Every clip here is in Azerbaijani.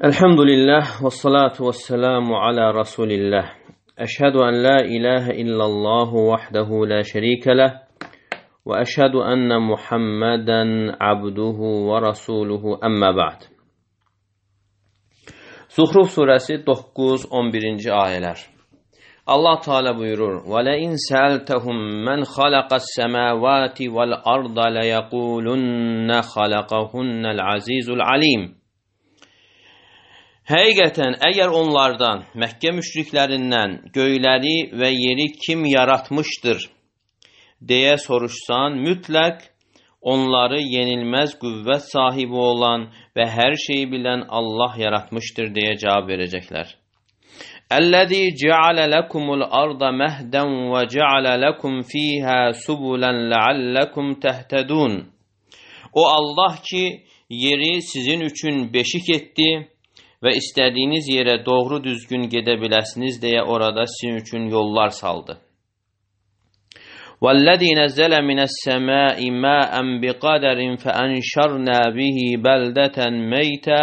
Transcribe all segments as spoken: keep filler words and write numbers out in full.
Elhamdülillah ve salatu ve selamu ala Resulillah. Eşhedü en la ilahe illallahu vahdehu la şerike leh ve eşhedü enne Muhammeden abduhu ve rasuluhu emmə ba'd. Zuhruf surəsi doqquz on birinci ayələr. Allah Teala buyurur: "Və la in sa'altahum men halaqas semawati vel arda la yaqulunna halaqahunnal azizul alim." Həqiqətən, əgər onlardan, Məkkə müşriklərindən göyləri və yeri kim yaratmışdır deyə soruşsan, mütləq onları yenilməz qüvvət sahibi olan və hər şeyi bilən Allah yaratmışdır deyə cavab verəcəklər. "Əllezî ceale lekumul arda mehden ve ceale lekum fîhâ subulan leallekum tehtedûn." O Allah ki, yeri sizin üçün beşik etdi və istədiyiniz yerə doğru düzgün gedə biləsiniz deyə orada sizin üçün yollar saldı. وَالَّذِي نَزَّلَ مِنَ السَّمَاءِ مَاءً بِقَدَرٍ فَأَنْشَرْنَا بِهِ بَلْدَةً مَيْتًا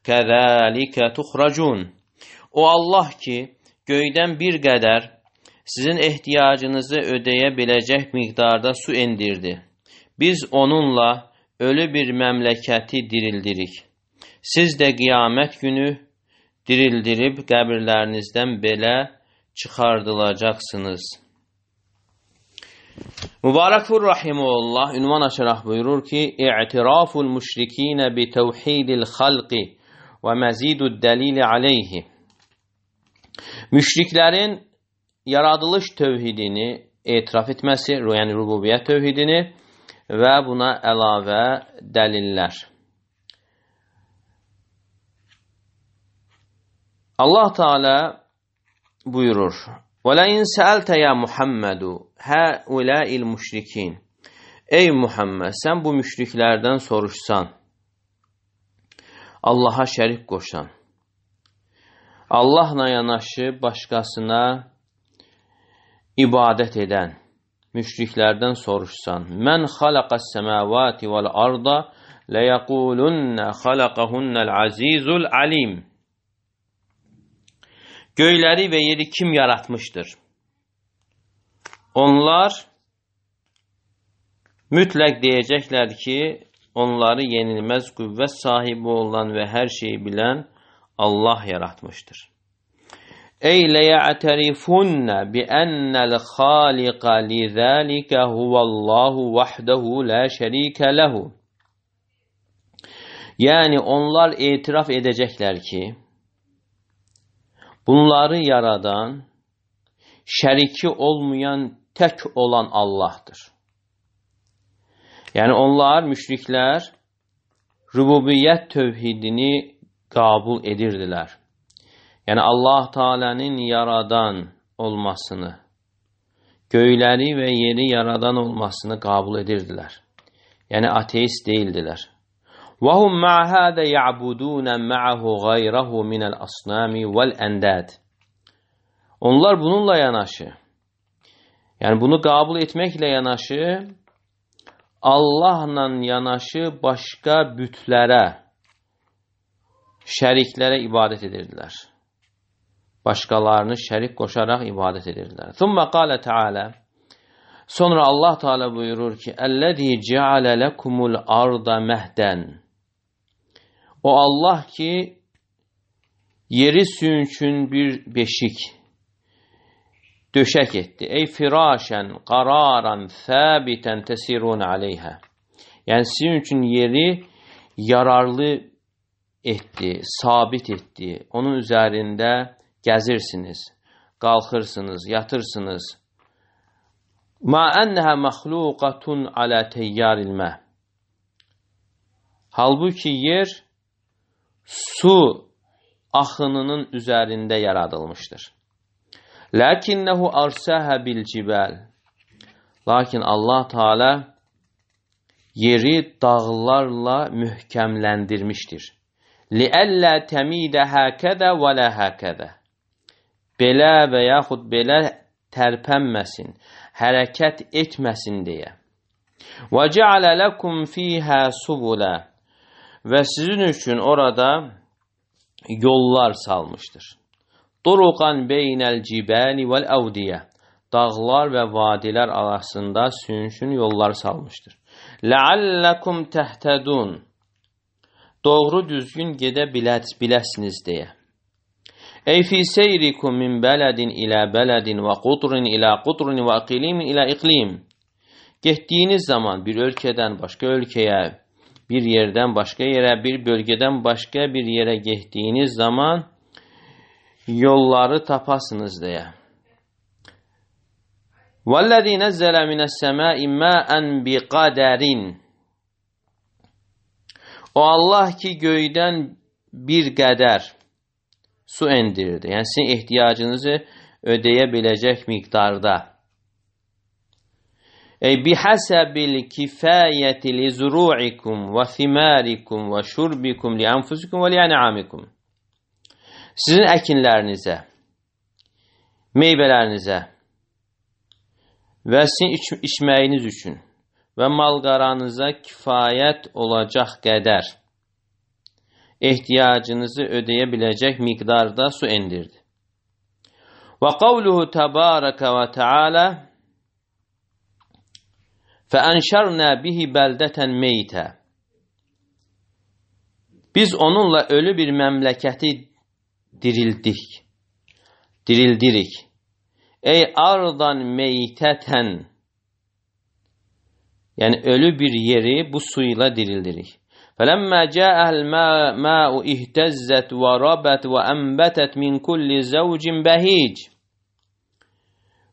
كَذَلِكَ تُخْرَجُونَ. O Allah ki, göydən bir qədər sizin ehtiyacınızı ödəyə biləcək miqdarda su endirdi. Biz onunla ölü bir məmləkəti dirildirik. Siz də qiyamət günü dirildirib qəbirlərinizdən belə çıxardılacaqsınız. Mübarəkfur Rahimullah ünvan açaraq buyurur ki, "İ'tiraful müşrikinə bi tevhidil xalqi və məzidud dəlili aleyhi." Müşriklərin yaradılış tövhidini etiraf etməsi, yəni rububiyyət tövhidini və buna əlavə dəlillər. Allah Teala buyurur: وَلَاِنْ سَأَلْتَ يَا مُحَمَّدُ هَؤُلَاءِ الْمُشْرِكِينَ. Ey Muhammed, sen bu müşriklerden soruşsan, Allah'a şərik qoşan, Allahla yanaşı başkasına ibadət edən müşriklerden soruşsan, "Mən xalaqas semavati vel arda leyaqulunna xalaqahunnal azizul alim." Göyləri və yeri kim yaratmışdır? Onlar mütləq deyəcəklər ki, onları yenilməz qüvvət sahibi olan və hər şeyi bilən Allah yaratmışdır. Ey leya'terifunna bi ennel khaliqa lizalika huvallahu vahdehu la şerike lehu. Yəni onlar etiraf edəcəklər ki, bunları yaradan, şəriki olmayan, tək olan Allah'tır. Yəni onlar, müşriklər, rububiyyət tövhidini qəbul edirdilər. Yəni Allah Teala'nın yaradan olmasını, göyləri və yeri yaradan olmasını qəbul edirdilər. Yəni ateist deyildilər. وَهُمْ مَعَ هَذَا يَعْبُدُونَ مَعَهُ غَيْرَهُ مِنَ الْأَصْنَامِ وَالْأَنْدَادِ. Onlar bununla yanaşı, yani bunu kabul etmekle yanaşı, Allah'la yanaşı başka bütlərə, şəriklere ibadet edirdiler. Başkalarını şərik koşarak ibadet edirdiler. ثُمَّ قَالَ تَعَالَى. Sonra Allah Teala buyurur ki, اَلَّذ۪ي جَعَلَ لَكُمُ الْأَرْضَ مَهْدًا. O Allah ki, yeri sizin üçün bir beşik, döşək etdi. Ey firâşən, qararan, thâbitən tesirûn aleyhə. Yəni sizin üçün yeri yararlı etdi, sabit etdi. Onun üzərində gəzirsiniz, qalxırsınız, yatırsınız. Ma ennəhə məxluqatun alə teyyaril məh. Halbuki yer su axınının üzərində yaradılmışdır. Lakinnehu arsəhə bil cibal. Lakin Allah Teala yeri dağlarla mühkəmləndirmişdir. Liəllə təmidə həkədə və lə həkədə. Belə və yaxud belə tərpənməsin, hərəkət etməsin deyə. Və cealə ləkum fīhə subula. Və sizin üçün orada yollar salmışdır. Turuqan beynəl cibali vel avdiyə. Dağlar və vadilər arasında sürüşün yollar salmışdır. Ləalləkum təhtədun. Doğru düzgün gedə biləsiniz deyə. Ey fi seyrikum min bələdin ilə bələdin və qutrin ilə qutrin və iqlimin ilə iqlim. Getdiyiniz zaman bir ölkədən başqa ölkəyə, bir yerdən başqa yerə, bir bölgədən başqa bir yerə getdiyiniz zaman yolları tapasınız deyə. وَالَّذِي نَزَّلَ مِنَ السَّمَاءِ مَاءً بِقَدَرٍ. O Allah ki göydən bir qədər su endirdi. Yəni sizin ehtiyacınızı ödeyə biləcək miqdarda. Ey bihəsəbil kifayəti li zuru'ikum və thimarikum və şurbikum li anfusikum və li an'amikum. Sizin əkinlərinizə, meyvələrinizə və sizin iç içməyiniz üçün və malqaranıza kifayət olacaq qədər ehtiyacınızı ödeyə biləcək miqdarda su endirdi. Və qavluhu təbarəkə və teala fəənşərnə bihi bəldətən meytə. Biz onunla ölü bir məmləkəti dirildik, dirildirik. Ey ardan meytətən. Yəni ölü bir yeri bu suyla dirildirik. فَلَمَّا جَاءَهَا الْمَاءُ اِهْتَزَّتْ وَرَبَتْ وَأَنْبَتَتْ مِنْ كُلِّ زَوْجٍ بَهِيجٍ.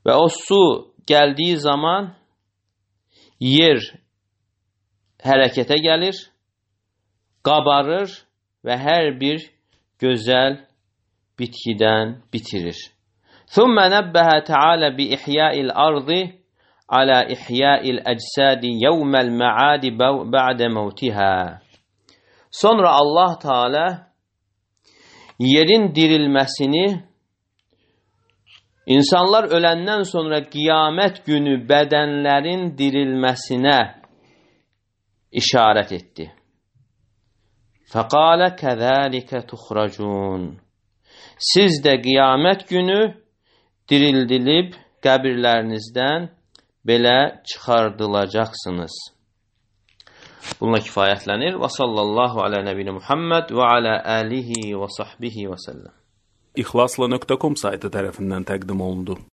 Ve o su geldiği zaman yer hərəkətə gəlir, qabarır və hər bir gözəl bitkidən bitirir. ثُمَّ نَبَّهَ تَعَالَى بِإِحْيَاءِ الْأَرْضِ عَلَى إِحْيَاءِ الْأَجْسَادِ يَوْمَ الْمَعَادِ بَعْدَ مَوْتِهَا. Sonra Allah Teala yerin dirilməsini insanlar öləndən sonra qiyamət günü bədənlərin dirilməsinə işarət etdi. فَقَالَ كَذَٰلِكَ تُخْرَجُونَ. Siz də qiyamət günü dirildilib qəbirlərinizdən belə çıxardılacaqsınız. Bununla kifayətlənir. Və sallallahu alə nəbiyyə Muhammed və alə alihi və sahbihi və səlləm. İxlasla nöqtə com saytı tərəfindən təqdim olundu.